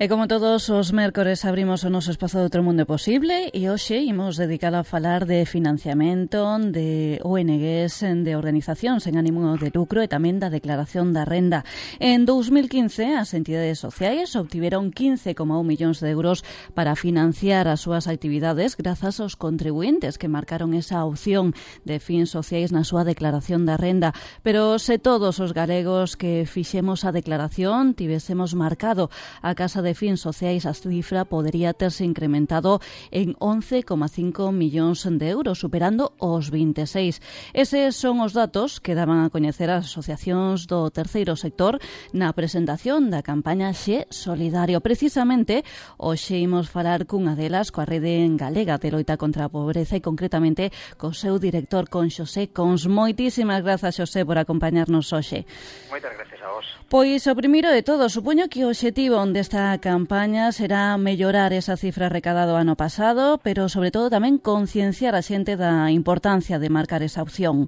E como todos os mércores abrimos o noso espazo de Outro Mundo Posible e hoxe imos dedicar a falar de financiamento de ONGs, de organizacións en ánimo de lucro e tamén da declaración da renda. En 2015 as entidades sociais obtiveron 15,1 millóns de euros para financiar as súas actividades grazas aos contribuintes que marcaron esa opción de fins sociais na súa declaración da renda. Pero se todos os galegos que fixemos a declaración tivésemos marcado a Casa de Fins Sociais, a cifra podería terse incrementado en 11,5 millóns de euros, superando os 26. Eses son os datos que daban a coñecer as asociacións do terceiro sector na presentación da campaña Xe Solidario. Precisamente, hoxe imos falar cunha delas, coa Rede Galega de Loita contra a Pobreza e concretamente co seu director, con Xosé Cons. Moitísimas grazas, Xosé, por acompañarnos hoxe. Moitas gracias a vos. Pois o primeiro de todo, supoño que o obxectivo desta campaña será mellorar esa cifra recadada o ano pasado, pero sobre todo tamén concienciar a xente da importancia de marcar esa opción.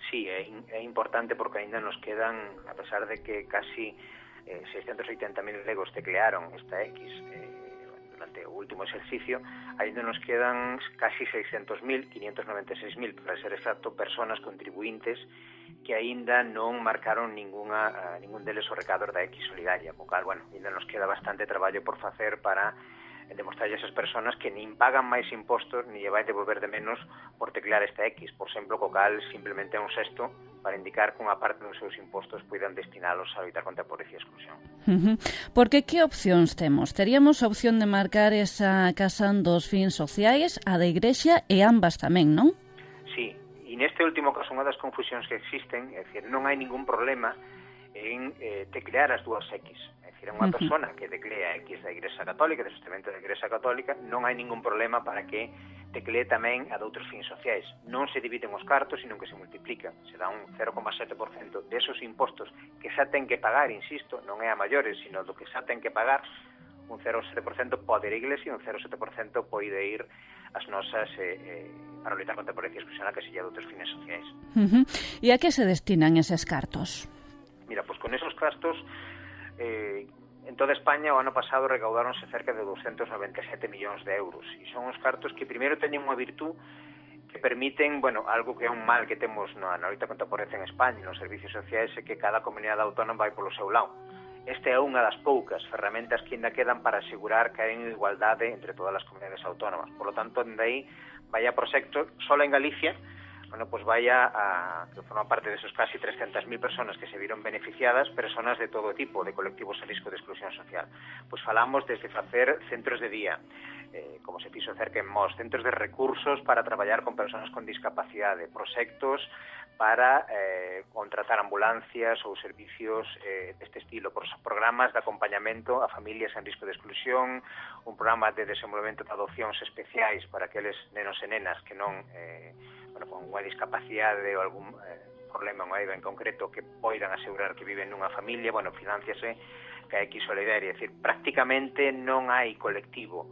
Sí, é importante porque aínda nos quedan, a pesar de que casi 680.000 legos teclearon esta X durante o último exercicio, aínda nos quedan casi 600.000, 596.000, para ser exacto, personas contribuintes que aínda non marcaron ningún deles o recador da X solidaria, co cal, bueno, aínda nos queda bastante traballo por facer para demostrarlle a esas personas que nin pagan máis impostos ni lle vai devolver de menos por teclear esta X, por exemplo, co cal simplemente é un xesto para indicar que unha parte dos seus impostos poidan destinalos a loitar contra a pobreza e a exclusión. Porque que opcións temos? Teríamos a opción de marcar esa casa dos fins sociais, a da Igrexa e ambas tamén, non? Sí, e neste último caso unha das confusións que existen, é dicir, non hai ningún problema en teclear as dúas X. É dicir, unha persona que teclea X da Igrexa Católica, do sistemento da Igrexa Católica, non hai ningún problema para que teclee tamén a de outros fins sociais. Non se dividen os cartos, sino que se multiplica. Se dá un 0,7% desos impostos que xa ten que pagar, insisto, non é a maiores, sino do que xa ten que pagar, un 0,7% pode ir a Iglesia e un 0,7% pode ir as nosas para loitar contra a pobreza e exclusión a casilla de outros fines sociais. E a que se destinan eses cartos? Mira, pois con esos cartos en toda España o ano pasado recaudáronse cerca de 297 millóns de euros e son os cartos que primeiro teñen unha virtud que permiten, bueno, algo que é un mal que temos na loita contra a pobreza en España, nos servicios sociais, é que cada comunidade autónoma vai polo seu lado. Esta é unha das poucas ferramentas que ainda quedan para asegurar que hai igualdade entre todas as comunidades autónomas. Por lo tanto, de aí vai a proxecto, só en Galicia, bueno, pues vaya que forma parte de esos casi 300.000 personas que se vieron beneficiadas, personas de todo tipo, de colectivos en risco de exclusión social. Pues falamos desde facer centros de día, como se fixo cerca en Mos, centros de recursos para traballar con personas con discapacidade, proxectos para contratar ambulancias ou servicios deste estilo, programas de acompañamento a familias en risco de exclusión, un programa de desenvolvemento de adopcións especiais para aqueles nenos e nenas que non con unha discapacidade ou algún problema en concreto que poidan asegurar que viven nunha familia, financiase que a X solidaria, é dicir, prácticamente non hai colectivo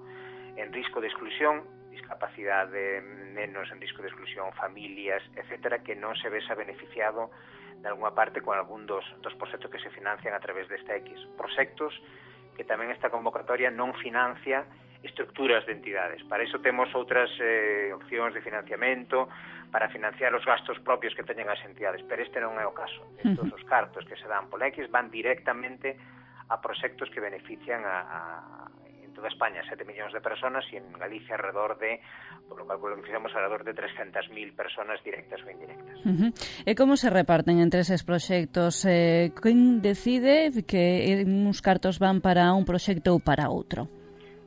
en risco de exclusión, discapacidade, nenos en risco de exclusión, familias, etcétera, que non se vesa beneficiado de alguna parte con algún dos proxectos que se financian a través desta X. Proxectos que tamén esta convocatoria non financia estructuras de entidades. Para iso temos outras opcións de financiamento para financiar os gastos propios que teñen as entidades, pero este non é o caso. Estos os cartos que se dan pola X van directamente a proxectos que benefician en toda España 7 millóns de personas e en Galicia alrededor de, por lo cálculo que fixemos, alrededor de 300.000 personas directas ou indirectas. E como se reparten entre eses proxectos? Quen decide que uns cartos van para un proxecto ou para outro?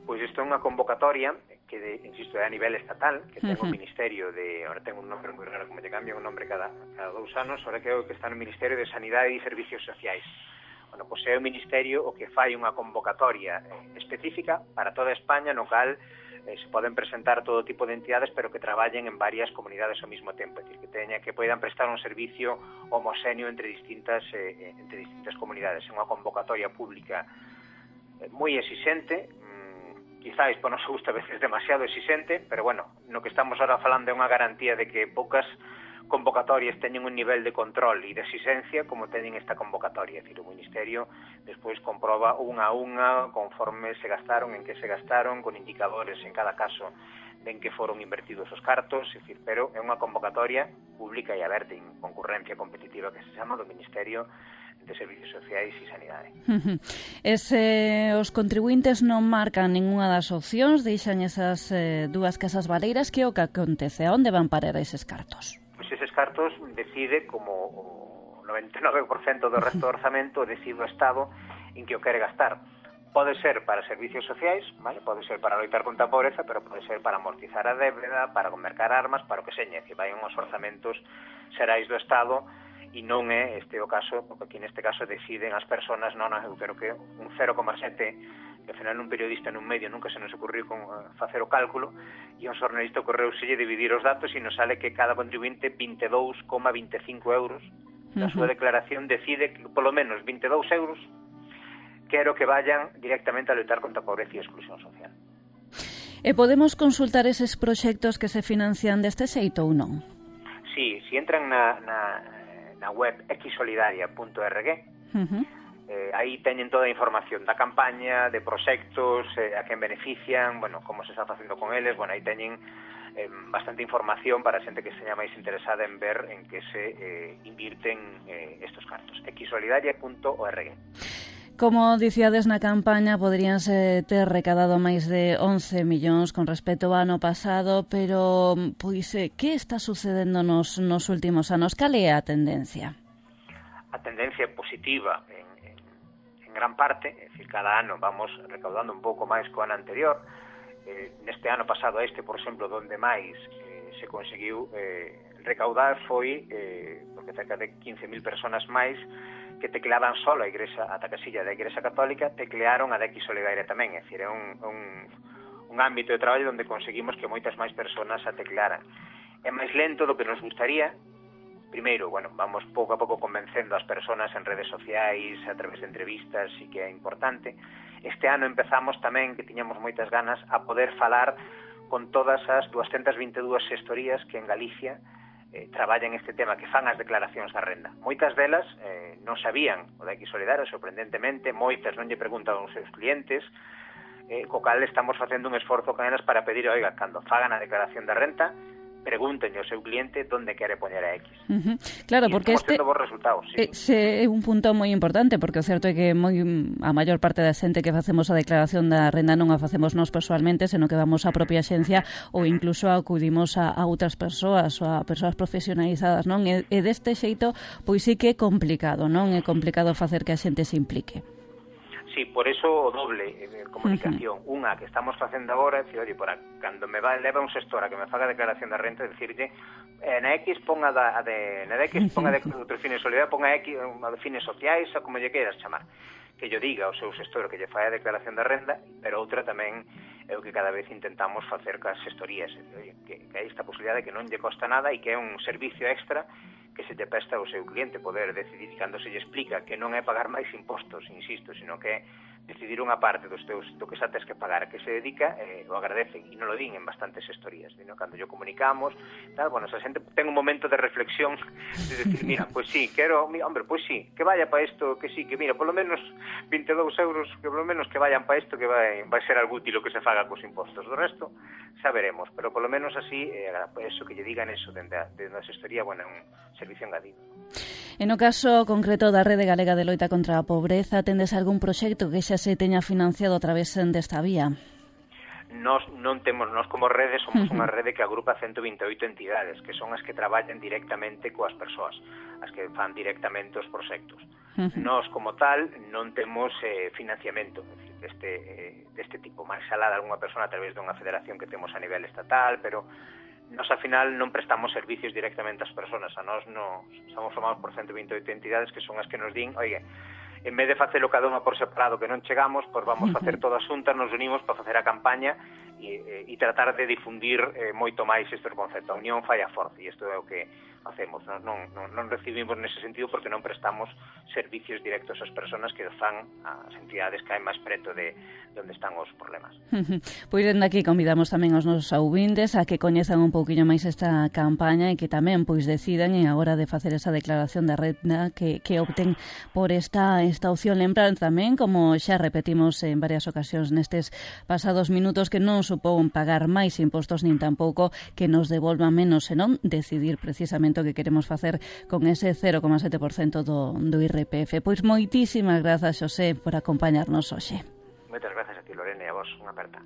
Pois isto é unha convocatoria que, insisto, é a nivel estatal, que ten o Ministerio de... Ahora ten un nombre moi raro, como te cambian un nombre cada 2 anos, ahora creo que está no Ministerio de Sanidade e Servicios Sociais. Bueno, pois é o Ministerio o que fai unha convocatoria específica para toda España, no cal se poden presentar todo tipo de entidades, pero que traballen en varias comunidades ao mesmo tempo, é dicir, que poidan prestar un servicio homoxéneo entre distintas comunidades. É unha convocatoria pública moi exixente, quizáis por noso gusto a veces demasiado exixente, pero bueno, no que estamos ahora falando é unha garantía de que poucas convocatorias teñen un nivel de control e de exigencia como teñen esta convocatoria. É dicir, o Ministerio despois comproba unha a unha conforme se gastaron, en que se gastaron, con indicadores en cada caso de en que foron invertidos os cartos, é dicir, pero é unha convocatoria pública e aberta en concurrencia competitiva que se chama do Ministerio de Servicios Sociais e Sanidade. Os contribuintes non marcan ninguna das opcións, deixan esas dúas casas baleiras. Que o que acontece? A onde van parar eses cartos? Pois eses cartos decide, como o 99% do resto do orzamento, decide o Estado en que o quere gastar. Pode ser para servicios sociais, vale? Pode ser para loitar contra a pobreza, pero pode ser para amortizar a débeda, para mercar armas, para o que seña, que vai uns orzamentos xerais do Estado, e non é este o caso, porque aquí neste caso deciden as persoas, non, eu creo que un 0,7, que ao final un periodista nun medio nunca se nos ocurriu con facer o cálculo, e un xornalista ocorreuselle dividir os datos e nos sale que cada contribuinte 22,25 euros da súa declaración decide que polo menos 22 euros quero que vayan directamente a loitar contra a pobreza e a exclusión social. E podemos consultar eses proxectos que se financian deste xeito ou non? Sí, si entran na web xsolidaria.org, aí teñen toda a información da campaña, de proxectos, a quen benefician, bueno, como se está facendo con eles, bueno, aí teñen bastante información para a xente que esteña máis interesada en ver en que se invirten estos cartos. xsolidaria.org. Como dicíades na campaña, poderíanse ter recadado máis de 11 millóns con respecto ao ano pasado, pero, pois, que está sucedendo nos últimos anos? Cal é a tendencia? A tendencia é positiva en gran parte, é dicir, cada ano vamos recaudando un pouco máis co ano anterior. Neste ano pasado por exemplo, donde máis se conseguiu recaudar foi porque cerca de 15.000 personas máis que tecleaban solo a Igrexa, ata casilla da Igrexa Católica, teclearon a da Xsolidaria tamén, é dicir, é un ámbito de traballo onde conseguimos que moitas máis personas a teclearan. É máis lento do que nos gustaría. Primeiro, bueno, vamos pouco a pouco convencendo as persoas en redes sociais, a través de entrevistas, sí que é importante. Este ano empezamos tamén, que tiñamos moitas ganas, a poder falar con todas as 222 xestorías que en Galicia traballan este tema, que fan as declaracións da renda. Moitas delas non sabían o da Xsolidaria, sorprendentemente, moitas non lle preguntan aos seus clientes, co cal estamos facendo un esforzo con elas para pedir, oiga, cando fagan a declaración da renta, pregúntenlle ao seu cliente onde quere poñer a X. Claro, porque este resultados, sí. É un punto moi importante, porque o certo é que a maior parte da xente que facemos a declaración da renda non a facemos nós persoalmente, senón que vamos á propia xencia ou incluso acudimos a outras persoas ou a persoas profesionalizadas, non? E deste xeito, pois sí que é complicado, non? É complicado facer que a xente se implique. Sí, por eso o doble comunicación. Unha que estamos facendo agora, é dicir, oye, cando me leva un xestor a que me faga a declaración da renta, decirlle, na X ponga na X ponga de outros fines solidarios, ponga X de fines sociais, ou como lle queiras chamar, que yo diga ao seu xestor que lle fai a declaración da renda, pero outra tamén é o que cada vez intentamos facer cas xestorías, que hai esta posibilidade que non lle costa nada e que é un servicio extra que se lle presta ao seu cliente poder decidir, cando se lle explica que non é pagar máis impostos, insisto, sino que é decidir unha parte do que xa tes que pagar, que se dedica, o agradecen, e non lo din en bastantes xestorías, ¿no? Cando yo comunicamos, tal, bueno, esa xente ten un momento de reflexión, de decir, mira, pues sí, quero, hombre, pues sí, que vaya para isto, que sí, que mira, polo menos 22 euros, que polo menos que vayan para isto, que vai ser algo útil o que se faga cos impostos, do resto xa veremos, pero polo menos así, eso que lle digan eso dende a xestoría, bueno, é un servicio engadido. En o caso concreto da Rede Galega de Loita contra a Pobreza, tendes algún proxecto que xa se teña financiado a través desta vía? Nós como rede somos unha rede que agrupa 128 entidades, que son as que traballan directamente coas persoas, as que fan directamente os proxectos. Nós, como tal, non temos financiamento deste tipo, máis alá de algunha persona a través dunha federación que temos a nivel estatal, pero nós, ao final, non prestamos servicios directamente ás persoas. A nós somos formados por 128 entidades que son as que nos din, oye, en vez de facelo cada unha por separado que non chegamos, pois vamos facer todas xuntas, nos unimos para facer a campaña e tratar de difundir moito máis este concepto. A unión fai a forza, e isto é o que facemos, non recibimos nese sentido porque non prestamos servicios directos ás persoas que fan as entidades que hai máis preto de onde están os problemas. Pois dende aquí convidamos tamén aos nosos ouvintes a que coñezan un pouquiño máis esta campaña e que tamén pois decidan en a hora de facer esa declaración de renda que opten por esta opción. Lembrar tamén, como xa repetimos en varias ocasións nestes pasados minutos, que non supón pagar máis impostos nin tampouco que nos devolvan menos, senón decidir precisamente o que queremos facer con ese 0,7% do IRPF. Pois moitísimas grazas, Xosé, por acompañarnos hoxe. Moitas grazas a ti, Lorena, e a vos, unha aperta.